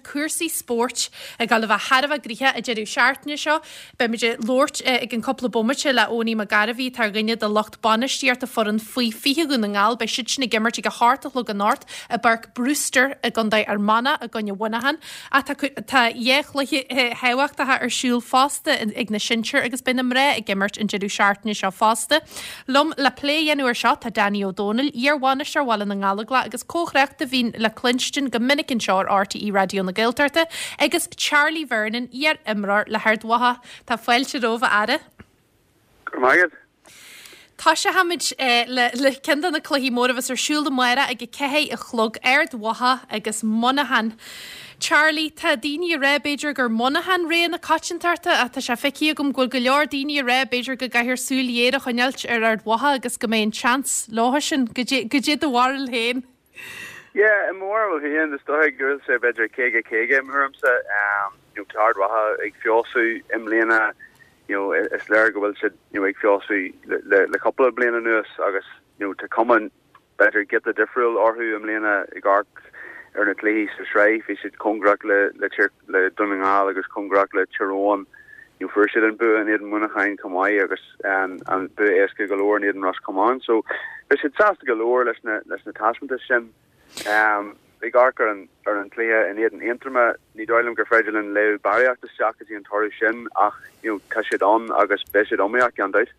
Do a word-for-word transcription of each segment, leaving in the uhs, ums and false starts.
cúrsaí spóirt ag dul a bheith thar a bheith gnoitheach an deireadh seachtaine seo. Beimid ag labhairt i gceann cúpla bomaite le Owenie McGarvey atá ar dhuine de lucht bainistíochta foireann faoi fiche Dhún na nGall, beidh siad sin ag imirt ag a hocht a chlog anocht i bPáirc Brewster i gContae Fhear Manach i gcoinne Mhuineacháin. Ach tá tá dhá chluiche thábhachtacha ar siúl fosta ag na sinsir agus beidh na mná ag imirt an deireadh seachtaine seo fosta. Liom le plé a dhéanamh air seo tá Danny Ó Dónaill, iar-bhainisteoir Bhaile na nGallóglach agus comhthráchtaire a bhíonn le cluinstin go minic anseo ar RTÉ Raidió na Gaeltachta, agus Charlie Vernon, iar-imreoir le hArd Mhacha. Tá fáilte romhaibh a fheara. Go raibh maith agat. Tosóimid le le ceann de na cluichí móra a bheas ar siúl amárach ag a ceathair a chlog, Ard Mhacha agus Muineachán. Charlie, tá daoine ag rá b'fhéidir gur Muineachán rogha na coitiantachta ach tá sé feicthe agam go bhfuil go leor daoine ag rá b'fhéidir go gcaithfear súil ghéar a choinneáilt ar Ard Mhacha agus go mbeidh an seans leo sin. Goidé do bharúil féin. Yeah, i mo bharúil féin is dóigh go bhfuil sé b'fhéidir caoga caoga i mo thuairimse. You know, tá Ard Mhacha ag feabhsú i mbliana, you know, is léir go bhfuil siad you know, ag feabhsú le, le, le cúpla bliain anuas agus you know, tá cuma b'fhéidir giota difriúil orthu i mbliana ag amharc ar na cluichí sa sraith, bhí siad cóngarach le le Tír le Dún na nGall agus cóngarach le Tír Eoghain. You know, fuair siad an bua in éadan Mhuineacháin chomh maith agus um, an bua éasca go leor in éadan Ros Comáin. So bhí siad sásta go leor leis na leis na taispeántais sin. Um, ag amharc ar an ar an cluiche in éadan Aontroma ní dóigh liom gur féidir linn léamh barraíocht isteach go dtí an toradh sin ach you know, tá siad ann agus beidh siad iomaíoch gan dabht.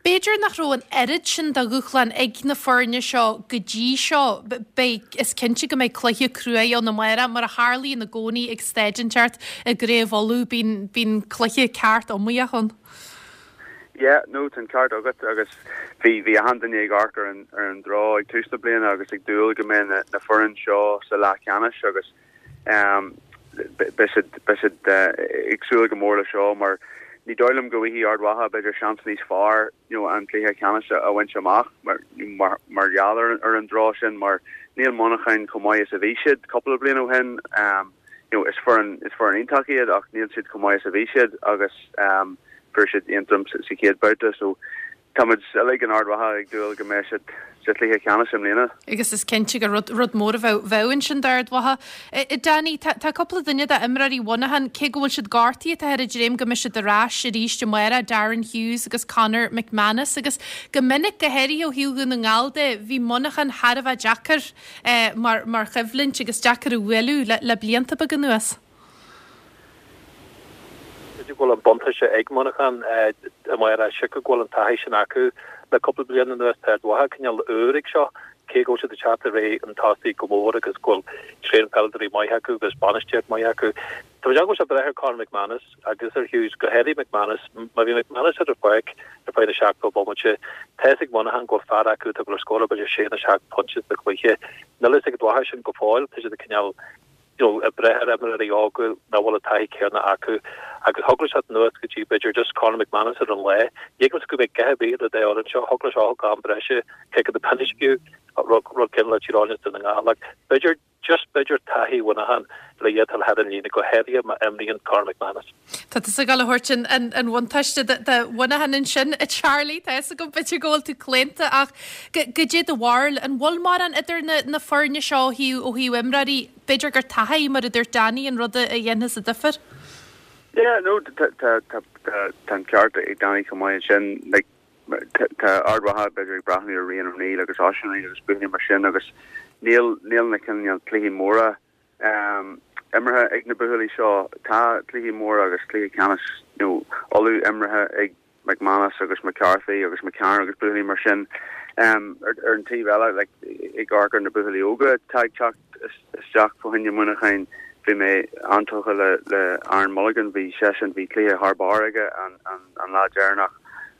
B'fhéidir nach raibh an oiread sin de dhúshlán ag na foirne seo go dtí seo beidh is cinnte go mbeidh cluiche crua ann amárach mar a tharlaíonn i gcónaí ag staid inteacht i gCraobh Uladh bíonn bíonn cluiche ceart iomaíoch ann. Yeah, no tá an ceart agat agus bhí bhí achan duine ag amharc ar an ar an draw ag tús na bliana agus ag dúil go mbeidh na, na foireann seo sa leathcheannais agus um, beidh siad beidh siad uh, ag súil go mór le seo mar ní dóigh liom go bhfaighidh Ard Mhacha b'fhéidir seans níos fearr you know, an cluiche ceannais a bhaint amach mar mar mar gheall ar, ar an draw sin mar níl Muineachán chomh maith is a bhí siad cúpla bliain ó shin um, you know, is foireann is foireann iontach iad ach níl siad chomh maith is a bhí siad agus um, fuair siad Aontroim sa chéad babhta so táimid uilig in Ard Mhacha ag dúil go mbeidh siad sa chluiche ceannais i mbliana. Agus is cinnte gur rud, rud mór a bheadh bheadh ansin d'Ard Mhacha. Danny, tá, tá cúpla duine d'imreoirí Mhuineacháin cé go bhfuil siad gortaithe tá ar a dréim go mbeidh siad ar ais arís amárach Darren Hughes agus Conor McManus agus go minic go háirithe ó thaobh Dhún na nGall de bhí Muineachán thar a bheith deacair eh, mar, mar choimhlint agus deacair a bhualadh le, le blianta beaga anuas. go bhfuil an buntáiste ag Muineachán amárach sé go bhfuil an taithí sin acu le cúpla bliain anuas tá Ard Mhacha cineál úr ag seo cé go siad teacht ar an tosaí go mór agus go bhfuil traen peileadóirí maith acu agus bainistíocht maith acu. Tá go sé breith ar Conor McManus agus ar Hughes go háirithe McManus má bhí McManus ar an pháirc ar feadh na seachtó bomaite tá ag Muineachán go fear acu tá go scór be sé na seacht pointe sa chluiche. Níl ag Ard Mhacha sin go fóill tá siad cineál ag brath ar imreoirí óga nach bhfuil an taithí céanna acu agus thógfaidh sé anuas go dtí b'fhéidir just Conor McManus ar an lá. Dhégus go mbeidh gutha bí le dé seo thógfaidh sé gan breise ce go de pennisciú rud cin le tíráine na nGall b'fhéidir just b'fhéidir taithí Mhuineacháin le dhétal had an líne go háirithe má imríonn Conor McManus. Tá tú ag gabháil a thabhairt an an bhuntáiste do Mhuineachán ansin a Charlie tá go b'fhéidir go bhfuil tú claonta ach goidé do bharúil an bhfuil mórán idir na, na foirne seo ó thaobh ó thaobh imreoirí b'fhéidir gur taithí mar a dúirt Danny an rud a dhéanfas an difear? Yeah, no tá an ceart ag Danny chomh maith sin like tá Ard Mhacha b'fhéidir ag breathnú ar Rian O'Neill agus Oisín O'Neill agus buachaillí mar sin agus níl níl na cineál cluichí móra um, imeartha ag na buachaillí seo tá cluichí móra agus cluiche ceannais you know, Uladh imeartha ag McManus agus McCarthy agus McCarn agus buachaillí mar sin um, ar, ar an taobh eile like, ag amharc ar na buachaillí óga tá teacht isteach fá choinne Mhuineacháin bhí mé an-tógtha le le Aaron Mulligan bhí seisean bhí cluiche thar barr aige an, an, an lá deireanach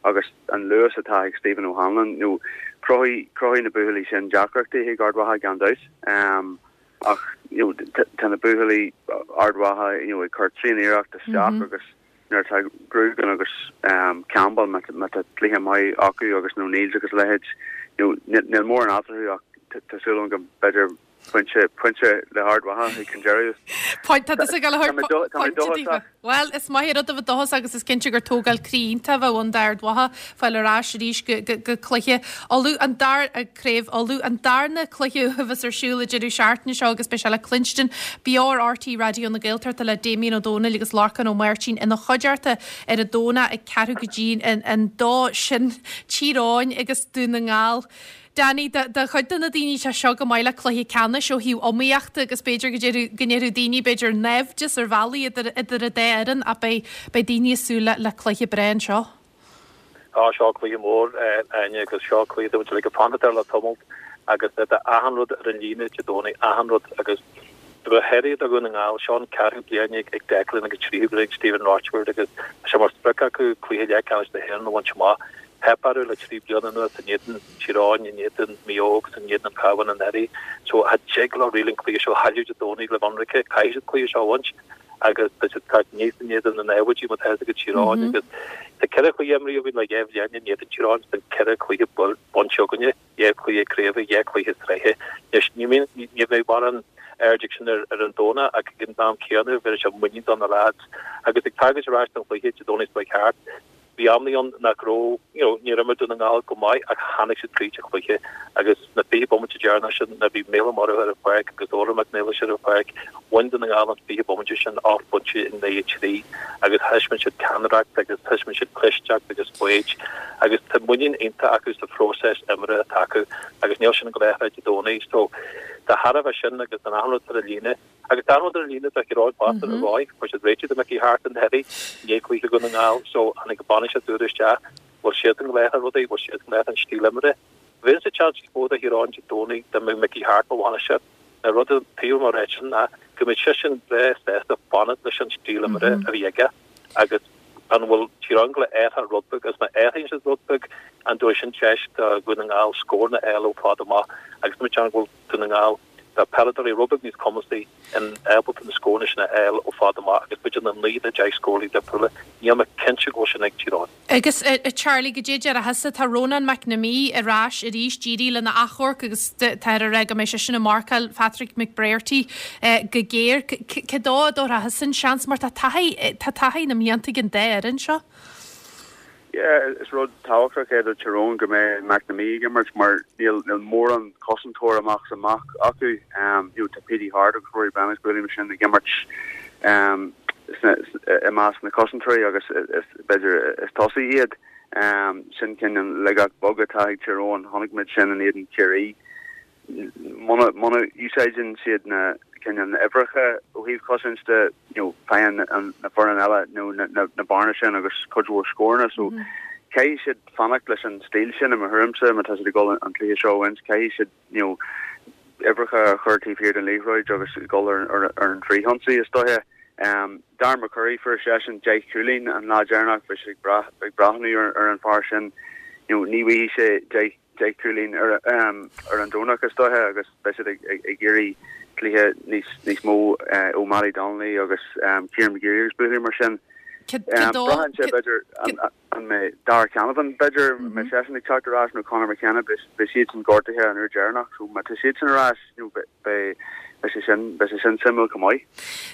agus an luas atá ag Stephen O'Hanlon nó cruthaíonn na buachaillí sin deacrachtaí ag Ard Mhacha gan dabht um, ach you know, tá na buachaillí Ard Mhacha you know, ag cur tréaniarracht isteach mm -hmm. agus nuair tá Grugan agus um, Campbell má tá cluiche maith acu agus nó Neils agus leithéid you know, níl mórán eatarthu ach tá súil go b'fhéidir pointe pointe le hArd Mhacha ag an deireadh. Point tá tusa ag gabháil a thabhairt pointe daofa. Bhuel, is maith an rud a bheith dóchasach agus is cinnte gur tógáil croí iontach a bheadh ann d'Ard Mhacha fáil ar ais arís go go go cluiche Uladh an dar craobh Uladh an darna cluiche a bheas ar siúl an deireadh seachtaine seo agus beidh sé le cluinstin beo ar RTÉ Raidió na Gaeltachta le Damien Ó Dónaill agus Lorcán Ó Máirtín ina chuideachta ar an Domhnach ag ceathrú go dtí an an dó sin Tír Eoghain agus Dún na nGall. Danny, do chuid de na daoine tá seo go maith le cluiche ceannais ó thaobh iomaíochta agus b'fhéidir go ndéarfadh go ndéarfadh daoine b'fhéidir naimhdeas ar bhealaí idir idir an dá fhoireann ach beidh beidh daoine ag súil le le cluiche breá anseo. Á seo cluiche mór Áine agus seo cluiche atá muid uilig ag fanacht air le tamall agus tá achan rud ar an líne Dé Domhnaigh, achan rud agus go háirithe do Dhún na nGall, seo an ceathrú bliain ag Declan agus tríú bliain ag Stephen Rochford agus tá sé mar sprioc acu cluiche leathcheannais na hÉireann a bhaint amach. Theip orthu le trí bliana anuas in éadan Tír Eoghain, in éadan Maigh Eo agus in éadan an Cabhán anuraidh. So cha dtig leo really an cluiche seo a chailleadh Dé Domhnaigh le bheith ionraice. Caithfidh siad cluiche seo a bhaint agus tá siad ag teacht aníos in éadan na naimhde má tá fhios agat Tír Eoghain agus tá ceithre chluiche imrithe againn le dhá bhliain in éadan Tír Eoghain, sin ceithre chluiche bainte againne, dhá chluiche craoibhe, dhá chluiche sraithe. Anois ní ní bheidh mórán aird ag sin ar ar an Domhnach ach ag an am céanna bheir sé muinín do na lads agus ag tagairt ar ais don chluiche Dé Domhnaigh seo thart. Bhí amanna ann nach raibh, you know, níor imir Dún na nGall go maith ach tháinig siad tríd an chluiche agus na fiche bomaite deireanach sin nuair a bhí Mícheál Ó Murchú ar an pháirc agus Odhrán Mac Niallais ar an pháirc, bhain Dún na nGall an fiche bomaite sin ocht bpointe in aghaidh a trí agus thaispeáin siad ceannaireacht agus thaispeáin siad clisteacht agus foighid agus tá muinín iontach acu sa phróiseas imeartha atá acu agus níl sin ag gabháil a athrú Dé Domhnaigh so de thairbhe sin agus an achan rud ar an líne Agus tá an rud ar an líne do Thír Eoghain fosta ar ndóigh, fuair siad réiteach do Mickey Harte anuraidh i ndiaidh cluiche Dhún na nGall so tháinig an bainisteoir úr isteach, bhfuil siad ag gabháil a athrú rudaí, bhfuil siad ag gabháil a athrú an stíl imeartha. Bheadh an seans níos mó do Thír Eoghain Dé Domhnaigh dá mbeadh Mickey Harte mar bhainisteoir. An rud taobh mo ráite sin ná go mbeadh seisean breá sásta fanacht leis an stíl imeartha a bhí aige agus an bhfuil Tír Eoghain ag gabháil a athrú rud beag agus má athraíonn siad rud beag an dtabharfaidh sin deis do Dhún na nGall scóranna a fháil ó fad amach agus tá mé ag déanamh go bhfuil Dún na nGall Tá peileadóirí rud beag níos cumasaí in ábalta na scóranna sin a fháil ó fad amach agus b'fhéidir na naoi nó deich scórálaí difriúla. Níl mé cinnte go bhfuil sin ag Tír Eoghain. Agus a Charlie, goidé a déarfá thusa, tá Rónán McNamee ar ais arís, d'éirigh lena achomharc agus táthar ag rá go mbeidh seisean ag marcáil Patrick McBrearty go géar. Cé dó a dtabharfá thusa an seans mar tá taithí, tá taithí na mblianta ag an dá fhoireann seo. Yeah, is rud tábhachtach é do Tyrone go mbeidh McNamee ag imirt mar níl níl mórán cosantóir amach is amach acu. Um, you know, tá Petey Harte agus Rory Brennan buailí mar sin ag imirt um, i measc na cosantóirí agus is b'fhéidir is tosaithe iad. Um, sin cineál laigeacht bheag atá ag Tyrone chonaic muid sin in éadan Ciarraí. Muna muna úsáideann siad na cineál na uimhreacha ó thaobh cosaint de you know faigheann an na foireann eile nó na na na bearna sin agus cuid mhór scóranna so caithfidh siad fanacht leis an stíl sin i mo thuairimse má tá siad ag dul an cluiche seo a bhaint caithfidh siad you know uimhreacha a chur taobh thiar den liathróid agus dul ar ar ar an frithionsaí is dóiche. Um, Darren McCurry fuair seisean deich cúilín an lá deireanach bhí sé ag brath ag breathnú ar ar an fear sin you know ní bhfaighidh sé deich deich cúilín ar ar an Domhnach is dóiche agus beidh siad ag iarraidh cluiche níos níos mó ó Mattie Donnelly agus Kieran McGeary agus buachaillí mar sin. Braitheann sé b'fhéidir an mbeidh Darragh Canavan b'fhéidir an mbeidh seisean ag teacht ar ais nó Conor McKenna beidh siadsan gortaithe an uair deireanach so má tá siadsan ar ais beidh Beidh sé sin, beidh sé sin suimiúil chomh maith.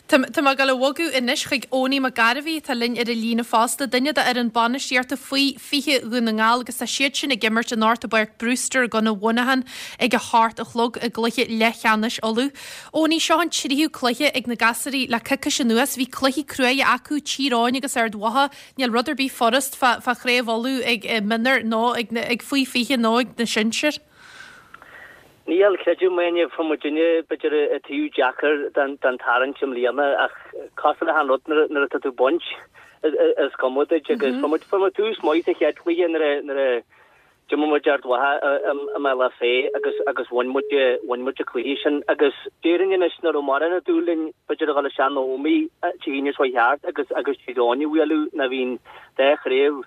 Tá mé ag dul a bhogadh anois chuig Owenie Mac Gairbhí atá linn ar an líne fosta, duine d'fhoireann bainistíochta faoi fiche Dhún na nGall agus tá siad sin ag imirt anocht i bPáirc Brewster i gContae Mhuineacháin ag a hocht a chlog i gcluiche leathcheannais Uladh. Owenie, seo an tríú cluiche ag na gasúirí le coicís anuas. Bhí cluichí cruaidhe acu, Tír Eoghain agus Ard Mhacha. Níl rud ar bith furast fá chraobh Uladh ag mionúir nó ag faoi fiche nó ag na sinsir. Níl, creidim é, fuair muidinne b'fhéidir an taobh deacair den tarraingt i mbliana ach cosúil le haon rud nuair atá tú ag baint is cuma duit agus fuair muid fuair muid tús maith sa chéad chluiche nuair a nuair a d'imir muid Ard Mhacha i mBealach Féich agus agus bhain muid bhain muid an cluiche sin agus déarfainn anois nach raibh mórán ag dúil linn b'fhéidir a dhul isteach na hÓmaí Dé hAoine seo thart agus agus Tír Eoghain a bhualadh nuair a bhí an dá chraobh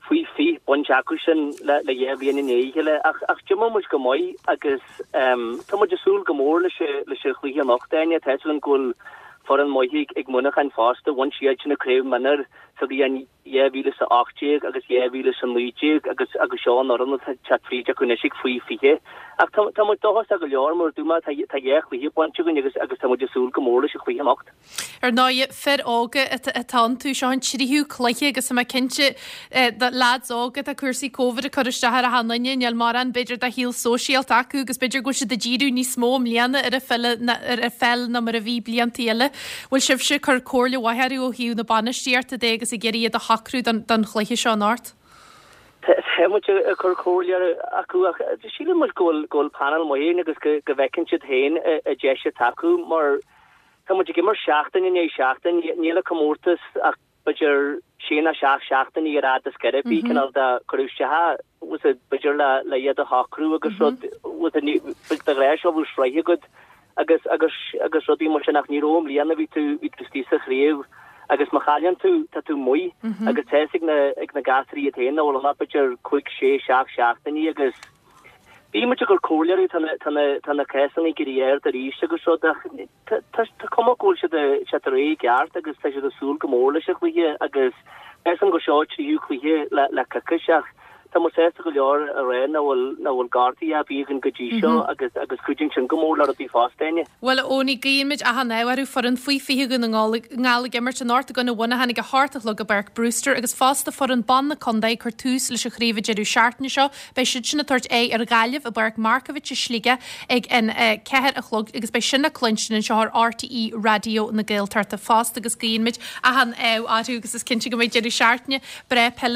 faoi fiche bainte acu sin le dhá bhliain i ndiaidh a chéile ach ach d'imir muid go maith agus tá muid ag súil go mór leis leis an chluiche anocht Áine. Tá a fhios againn go bhfuil foireann maith ag Muineachán fosta, bhain siad sin an craobh mionúir sa bhliain dhá mhíle is a ocht déag agus dhá mhíle is a naoi déag agus agus seo an fhoireann atá ag teacht fríd acu anois ag faoi fiche. Ach tá tá muid dóchasach go leor mar dúirt mé tá tá dhá chluiche bainte againn agus agus tá muid ag súil go mór leis an chluiche anocht. Ar ndóigh, fir óga atá iontu, seo an tríú cluiche agus tá mé cinnte do leaids óga tá cúrsaí Covid ag cur isteach ar achan duine, níl mórán b'fhéidir de shaol sóisialta acu agus b'fhéidir go bhfuil siad ag díriú níos mó i mbliana ar an pheil ar an pheil ná mar a bhí blianta eile. Bhfuil sibhse ag cur comhairle mhaith orthu ó thaobh na bainistíochta de agus ag iarraidh iad a shocrú don chluiche seo anocht? Tá muid ag cur comhairle acu ach sílim muid go bhfuil go bhfuil panel maith againn agus go go bhfeiceann siad féin an deis atá acu mar Tá muid ag imirt seachtain i ndiaidh seachtain, níl an comórtas ach b'fhéidir sé nó seacht seachtainí ar fhad is go raibh cineál de cuireadh isteach was it b'fhéidir le le iad a shocrú agus rud was it de ghnáth seo bhí sraith agat agus agus agus rudaí mar sin ach ní raibh i mbliana bhí tú bhí tú istigh sa chraobh agus má chailleann tú tá tú amuigh agus tá fhios ag na ag na gasraí iad féin nach bhfuil ann ach b'fhéidir cúig sé seacht seachtainí agus Bhí muid ag cur comhairle orthu, tá na, tá na, tá na cásanna ag éirí ard arís agus rud ach tá, tá, tá cuma go bhfuil siad, siad réidh i gceart agus tá siad ag súil go mór leis an chluiche agus measaim gur seo tríú cluiche le, le coicís ach tá muid sásta go leor a rá nach bhfuil, nach bhfuil gortaithe ar bith againn go dtí seo agus, agus cuidíonn sin go mór le rudaí fosta, Áine. Bhuel, a Eoiní, guímid achan ádh orthu foireann faoi fiche Dhún na nGall ag imirt anocht i gcoinne Mhuineacháin ag a hocht a chlog i bPáirc Brewster agus fosta foireann ban na contae ag cur tús leis an chraobh an deireadh seachtaine seo. Beidh siad sin ag tabhairt aghaidh ar Ghaillimh i bPáirc Markievicz i Sligeach ag an ceathair a chlog agus beidh sin le cluinstin anseo ar RTÉ Raidió na Gaeltachta fosta agus guímid achan ádh orthu agus is cinnte go mbeidh deireadh seachtaine breá peile